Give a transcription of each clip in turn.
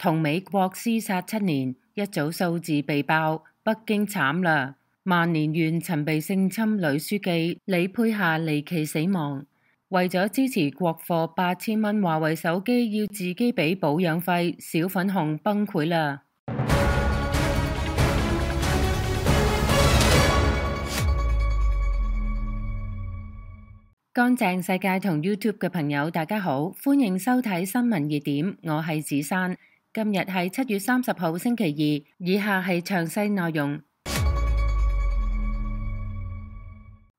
同美國廝殺7年，一組數字被爆，北京慘啦！萬年縣曾被性侵女書記李佩霞離奇死亡。為咗支持國貨8000蚊華為手機要自己俾保養費，小粉紅崩潰啦！乾淨世界同 YouTube 嘅朋友大家好，歡迎收睇新聞熱點，我係子珊。今日係7月30號星期二，以下係詳細內容。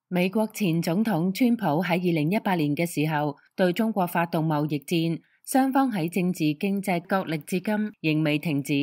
美國前總統川普喺2018年嘅時候對中國發動貿易戰，雙方喺政治經濟角力至今仍未停止。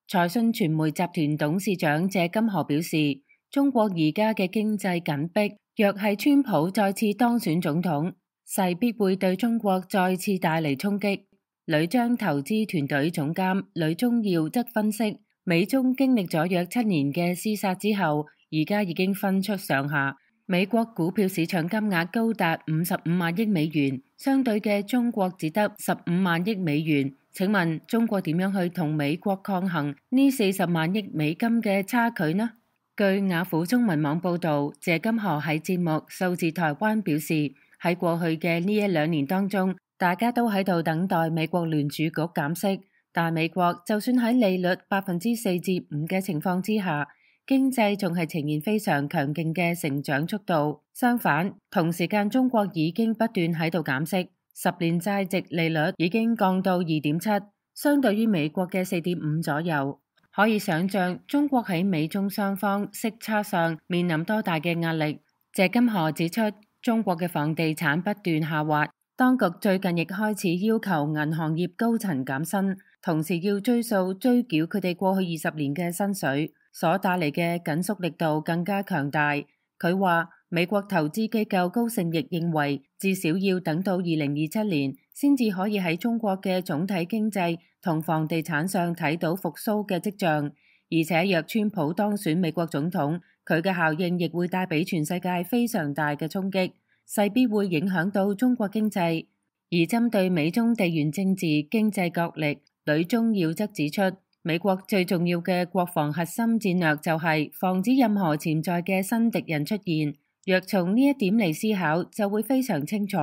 財訊傳媒集團董事長謝金河表示，中國而家嘅經濟緊迫，若係川普再次當選總統，勢必會對中國再次帶嚟衝擊。呂章投資團隊總監呂宗耀則分析，美中經歷咗約7年嘅廝殺之後，而家已經分出上下。美國股票市場金額高達55萬億美元，相對嘅中國只得15萬億美元。請問中國點樣去同美國抗衡呢40萬億美金嘅差距呢？據雅虎中文網報道，謝金河喺節目《數字台灣》表示，喺過去嘅呢1-2年當中，大家都喺度等待美國聯儲局減息，但美國就算喺利率4%至5%嘅情況之下，經濟仲係呈現非常強勁嘅成長速度。相反，同時間中國已經不斷喺度減息，10年債值利率已經降到2.7%，相對於美國嘅4.5%左右。可以想象中國喺美中雙方息差上面臨多大嘅壓力。謝金河指出，中國嘅房地產不斷下滑，當局最近亦開始要求銀行業高層減薪，同時要追繳佢哋過去20年嘅薪水，所帶嚟嘅緊縮力度更加強大。佢話美國投資機構高盛亦認為，至少要等到2027年先至可以喺中國嘅總體經濟同房地產上睇到復甦嘅跡象。而且若川普當選美國總統，佢嘅效應亦會帶俾全世界非常大嘅衝擊，勢必會影響到中國經濟。而針對美中地緣政治經濟角力，呂宗耀則指出，美國最重要嘅國防核心戰略就係防止任何潛在嘅新敵人出現。若從呢一點嚟思考，就會非常清楚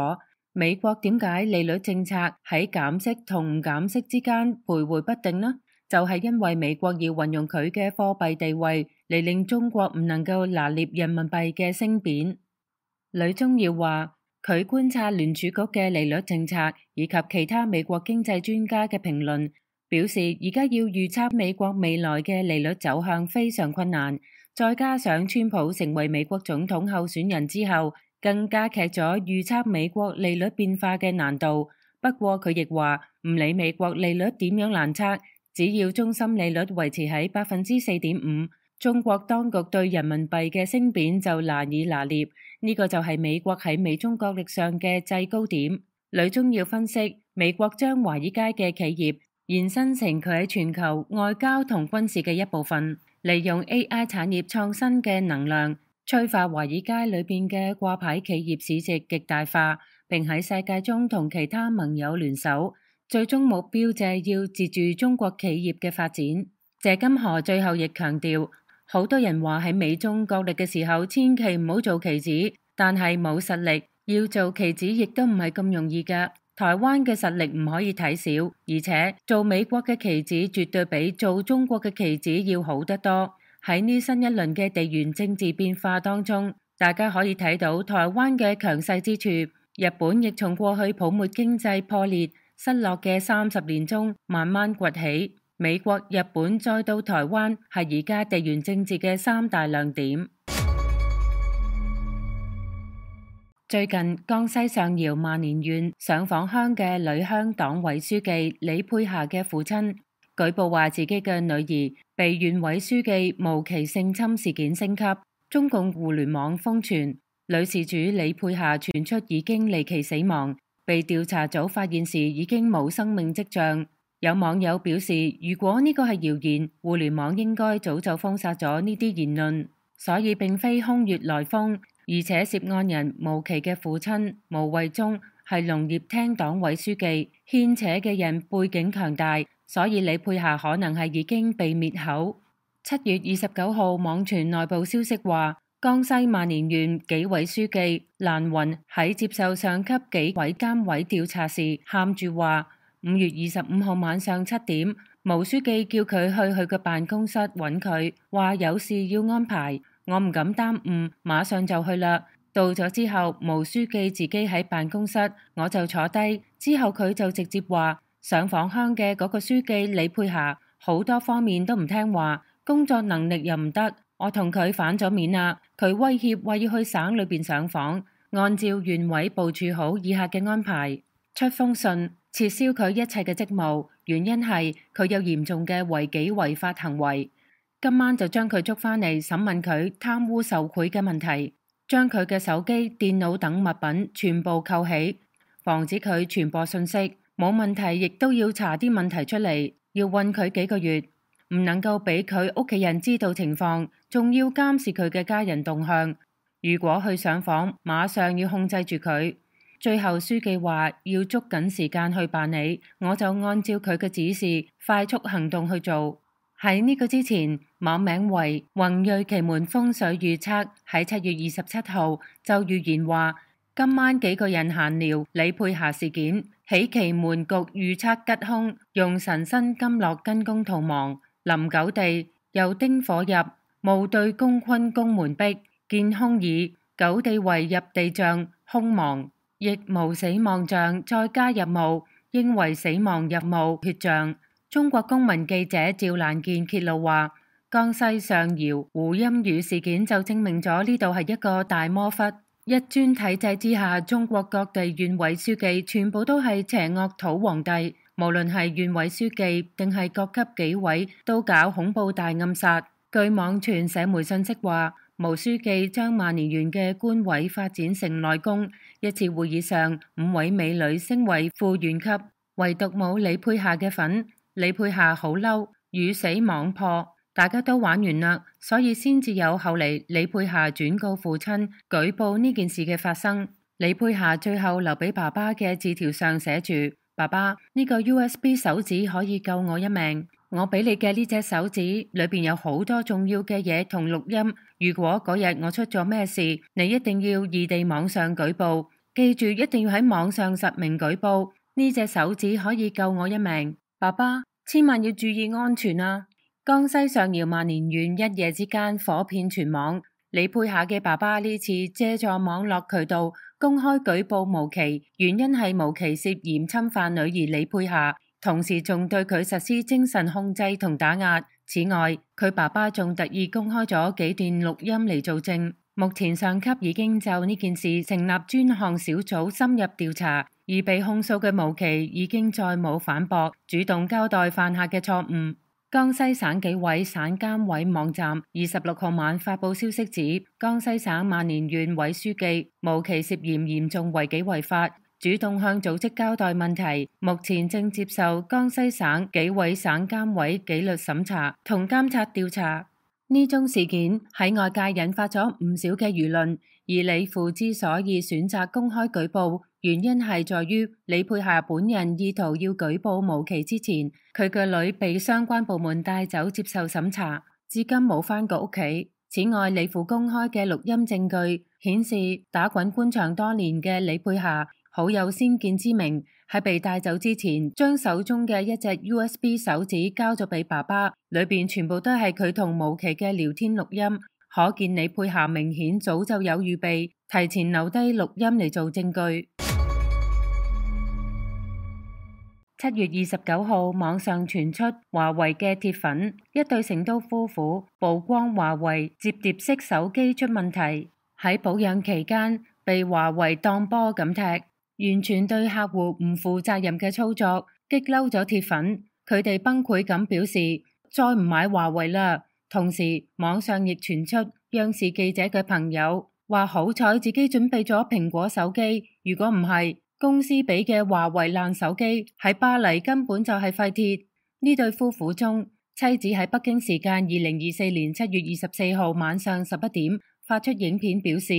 美國點解利率政策喺減息同唔減息之間徘徊不定呢？就係因為美國要運用佢嘅貨幣地位嚟令中國唔能夠拿捏人民幣嘅升貶。呂宗耀話，佢觀察聯儲局嘅利率政策以及其他美國經濟專家嘅評論，表示而家要預測美國未來嘅利率走向非常困難。再加上川普成為美國總統候選人之後，更加劇咗預測美國利率變化嘅難度。不過佢亦話，唔理美國利率點樣難測，只要中心利率維持喺4.5%，中國當局對人民幣嘅升貶就難以拿捏。呢個就係美國喺美中角力上嘅制高點。呂宗耀分析，美國將華爾街嘅企業延伸成佢喺全球外交同軍事嘅一部分。利用 AI 產業創新嘅能量，催化華爾街裏邊嘅掛牌企業市值極大化，並喺世界中同其他盟友聯手，最終目標就係要截住中國企業嘅發展。謝金河最後亦強調，好多人話喺美中角力嘅時候，千祈唔好做棋子，但係冇實力，要做棋子亦都唔係咁容易㗎。台灣嘅實力唔可以睇小，而且做美國嘅棋子絕對比做中國嘅棋子要好得多。喺呢新一輪嘅地緣政治變化當中，大家可以睇到台灣嘅強勢之處。日本亦從過去泡沫經濟破裂、失落嘅30年中慢慢崛起。美國、日本再到台灣，係而家地緣政治嘅3大亮點。最近江西上饒萬年縣上訪鄉嘅呂鄉黨委書記李佩霞嘅父親舉報話，自己嘅女兒被縣委書記無期性侵事件升級，中共互聯網瘋傳女事主李佩霞傳出已經離奇死亡，被調查組發現時已經冇生命跡象。有網友表示，如果呢個係謠言，互聯網應該早就封殺咗呢啲言論，所以並非空穴來風。而且涉案人無期嘅父親毛衛忠係農業廳黨委書記，牽扯嘅人背景強大，所以李佩霞可能係已經被滅口。7月29號網傳內部消息話，江西萬年縣紀委書記蘭雲喺接受上級紀委監委調查時喊住話，5月25號晚上7點，毛書記叫佢去嘅辦公室揾佢，話有事要安排，我唔敢耽誤，馬上就去啦。到咗之後，毛書記自己喺辦公室，我就坐低，之後佢就直接話，上訪鄉嘅嗰個書記李佩霞好多方面都唔聽話，工作能力又唔得，我同佢反咗面啦。佢威脅話要去省裏邊上訪，按照縣委部署好以下嘅安排，出封信撤銷佢一切嘅職務，原因係佢有嚴重嘅違紀違法行為。今晚就將佢捉返嚟審問佢貪污受賄嘅問題，將佢嘅手機、電腦等物品全部扣起，防止佢傳播信息。冇問題，亦都要查啲問題出嚟，要韞佢幾個月。唔能夠俾佢屋企人知道情況，仲要監視佢嘅家人動向。如果去上訪，馬上要控制住佢。最後書記話要捉緊時間去辦理，我就按照佢嘅指示快速行動去做。喺呢個之前，網名為宏瑞奇門風水預測喺7月27號就預言話，今晚幾個人閒聊李佩霞事件，喜奇門局預測吉凶，用神生金落根宮逃亡。臨九地又丁火入，戊對宮坤宮門壁，見凶矣。九地為入地象，凶亡，亦無死亡象，再加入戊，應為死亡入戊血象。中國公民記者趙蘭健揭露話，江西上饒胡鑫宇事件就證明咗呢度係一個大魔窟，一尊體制之下，中國各地縣委書記全部都係邪惡土皇帝。無論係縣委書記定係各級紀委，都搞恐怖大暗殺。據網傳社媒信息話，毛書記將萬年縣嘅官委發展成內宮。一次會議上，5位美女升為副縣級，唯獨冇李佩霞嘅份。李佩霞好嬲，魚死網破，大家都玩完啦，所以先至有後嚟李佩霞轉告父親舉報呢件事嘅發生。李佩霞最後留俾爸爸嘅字條上寫住，爸爸，呢個 USB 手指可以救我一命。我俾你嘅呢隻手指裏邊有好多重要嘅嘢同錄音。如果嗰日我出咗咩事，你一定要異地網上舉報。記住，一定要喺網上實名舉報。呢隻手指可以救我一命。爸爸，千萬要注意安全啊！江西上饒萬年縣一夜之間火遍全網。李佩霞嘅爸爸呢次借助網絡渠道公開舉報毛琪，原因係毛琪涉嫌侵犯女兒李佩霞，同時仲對佢實施精神控制同打壓。此外，佢爸爸仲特意公開咗幾段錄音嚟做證。目前上級已經就呢件事成立專項小組深入調查，而被控訴嘅毛琪已經再冇反駁，主動交代犯下嘅錯誤。江西省紀委省監委網站26號晚發佈消息指，江西省萬年縣委書記毛琪涉嫌嚴重違紀違法，主動向組織交代問題，目前正接受江西省紀委省監委紀律審查同監察調查。呢宗事件喺外界引發咗唔少嘅輿論，而李父之所以選擇公開舉報，原因係在於李佩霞本人意圖要舉報毛琪之前，佢嘅女被相關部門帶走接受審查，至今冇返過屋企。此外，李父公開嘅錄音證據顯示，打滾官場多年嘅李佩霞好有先見之明，喺被帶走之前，將手中嘅一隻 USB 手指交咗俾爸爸，裏邊全部都係佢同毛琪嘅聊天錄音，可見李佩霞明顯早就有預備，提前留低錄音嚟做證據。7月29號，網上傳出華為嘅鐵粉，一對成都夫婦曝光華為摺疊式手機出問題，喺保養期間被華為當波咁踢。完全對客戶唔負責任嘅操作，激嬲咗鐵粉，佢哋崩潰咁表示再唔買華為啦。同時，網上亦傳出央視記者嘅朋友話好彩自己準備咗蘋果手機，如果唔係公司俾嘅華為爛手機喺巴黎根本就係廢鐵。呢對夫婦中，妻子喺北京時間2024年7月24號晚上11點發出影片表示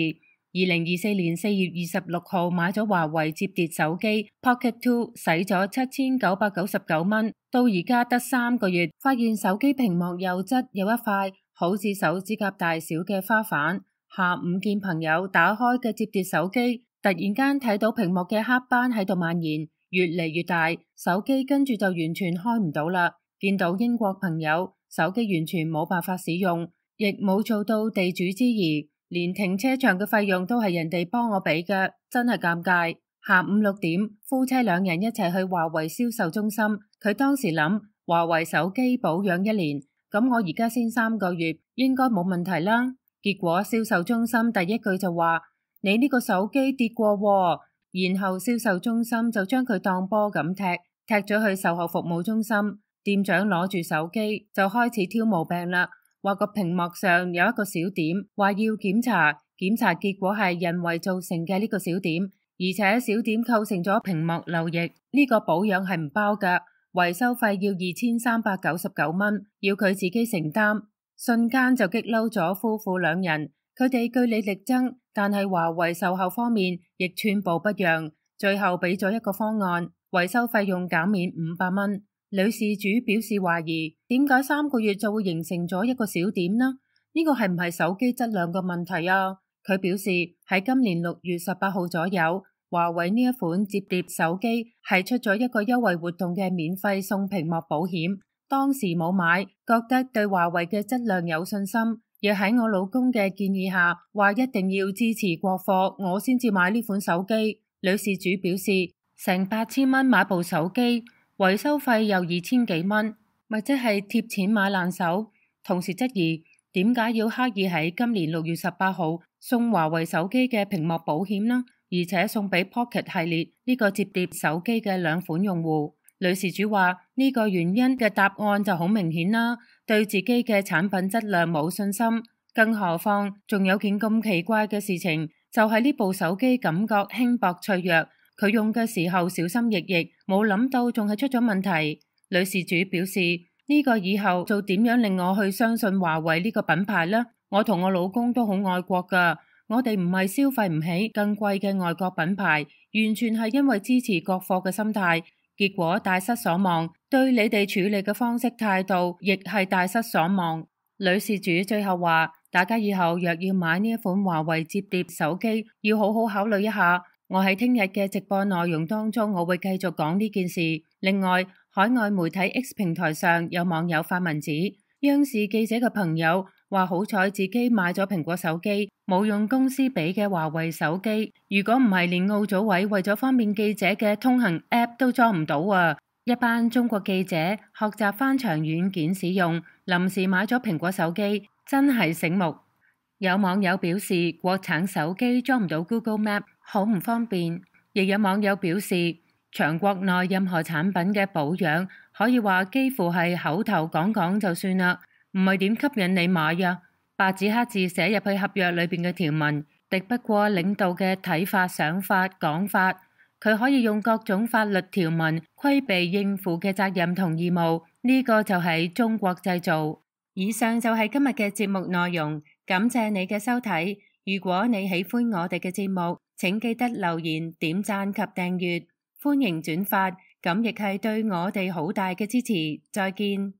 ，2024年4月26號買咗華為摺疊手機 Pocket 2，使咗7999蚊，到而家得3個月，發現手機屏幕右側有一塊好似手指甲大小嘅花瓣。下午見朋友打開嘅摺疊手機，突然間睇到屏幕嘅黑斑喺度蔓延，越嚟越大，手機跟住就完全開唔到啦。見到英國朋友手機完全冇辦法使用，亦冇做到地主之誼，連停車場嘅費用都係人哋幫我俾嘅，真係尷尬。下午6點，夫妻2人一齊去華為銷售中心，佢當時諗華為手機保養1年，咁我而家先3個月，應該冇問題啦。結果銷售中心第一句就話：你呢個手機跌過喎，然後銷售中心就將佢當波咁踢咗去售後服務中心。店長攞住手機就開始挑毛病啦，話個屏幕上有一個小點，話要檢查結果係人為造成嘅呢個小點，而且小點構成咗屏幕漏液，呢個保養係唔包㗎，維修費要2399蚊，要佢自己承擔。瞬間就激嬲咗夫婦2人，佢哋據理力爭，但係華為售後方面亦寸步不讓，最後俾咗一個方案，維修費用減免500蚊。女事主表示懷疑，點解3個月就會形成咗一個小點呢？呢個係唔係手機質量嘅問題啊？佢表示喺今年6月18號左右，華為呢一款摺疊手機係出咗一個優惠活動嘅免費送屏幕保險。當時冇買，覺得對華為嘅質量有信心，亦喺我老公嘅建議下，話一定要支持國貨，我先至買呢款手機。女事主表示，成8000蚊買部手機，維修費又2000幾蚊，咪即係貼錢買爛手。同時質疑，點解要刻意喺今年6月18號送華為手機嘅屏幕保險呢？而且送俾 Pocket 系列呢個摺疊手機嘅2款用戶。女事主話呢個原因嘅答案就好明顯啦，對自己嘅產品質量冇信心，更何況仲有件咁奇怪嘅事情，就係呢部手機感覺輕薄脆弱，佢用嘅時候小心翼翼，冇諗到仲係出咗問題。女事主表示，呢個以後就點樣令我去相信華為呢個品牌呢？我同我老公都好愛國㗎，我哋唔係消費唔起更貴嘅外國品牌，完全係因為支持國貨嘅心態。結果大失所望，對你哋處理嘅方式態度亦係大失所望。女事主最後話，大家以後若要買呢一款華為摺疊手機，要好好考慮一下。我喺聽日嘅直播內容當中，我會繼續講呢件事。另外，海外媒體 X 平台上有網友發文指，央視記者嘅朋友話好彩自己買咗蘋果手機，冇用公司俾嘅華為手機。如果唔係，連奧組委為咗方便記者嘅通行 App 都裝唔到啊！一班中國記者學習翻牆軟件使用，臨時買咗蘋果手機，真係醒目。有網友表示，國產手機裝唔到 Google Map， 好唔方便。亦有網友表示，長國內任何產品嘅保養，可以話幾乎係口頭講講就算啦，唔係點吸引你買呀？白紙黑字寫入去合約裏邊嘅條文，敵不過領導嘅睇法、想法、講法。佢可以用各種法律條文規避應付嘅責任同義務，呢個就係中國製造。以上就係今日嘅節目內容，感謝你嘅收睇。如果你喜歡我哋嘅節目，請記得留言、點讚及訂閱，歡迎轉發，咁亦係對我哋好大嘅支持。再見。